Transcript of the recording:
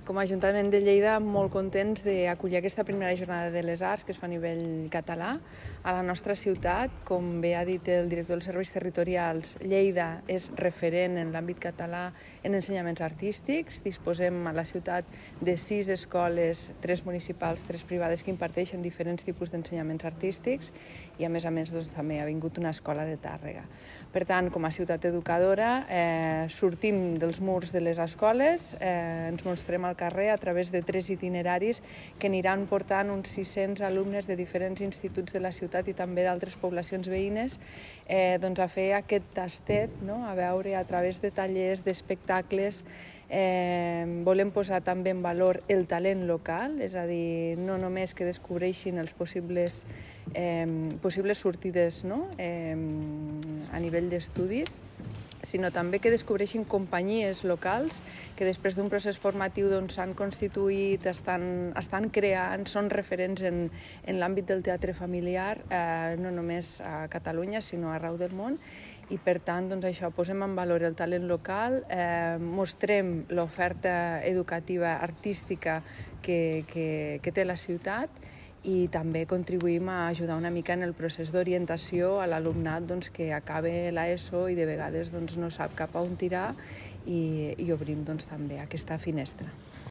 Com a Ajuntament de Lleida, molt contents d'acollir aquesta primera jornada de les arts que es fa a nivell català a la nostra ciutat. Com bé ha dit el director dels serveis territorials, Lleida és referent en l'àmbit català en ensenyaments artístics. Disposem a la ciutat de 6 escoles, 3 municipals, 3 privades, que imparteixen diferents tipus d'ensenyaments artístics i a més també ha vingut una escola de Tàrrega. Per tant, com a ciutat educadora, sortim dels murs de les escoles, ens mostrem al carrer a través de 3 itineraris que aniran portant uns 600 alumnes de diferents instituts de la ciutat i també d'altres poblacions veïnes a fer aquest tastet, a veure a través de tallers, d'espectacles. Volem posar també en valor el talent local, és a dir, no només que descobreixin els possibles sortides a nivell d'estudis, sinó també que descobreixin companyies locals que després d'un procés formatiu s'han constituït, estan creant, són referents en l'àmbit del teatre familiar, no només a Catalunya, sinó arreu del món. I per tant, això, posem en valor el talent local, mostrem l'oferta educativa artística que té la ciutat i també contribuïm a ajudar una mica en el procés d'orientació a l'alumnat que acaba l'ESO i de vegades no sap cap a on tirar i obrim també aquesta finestra.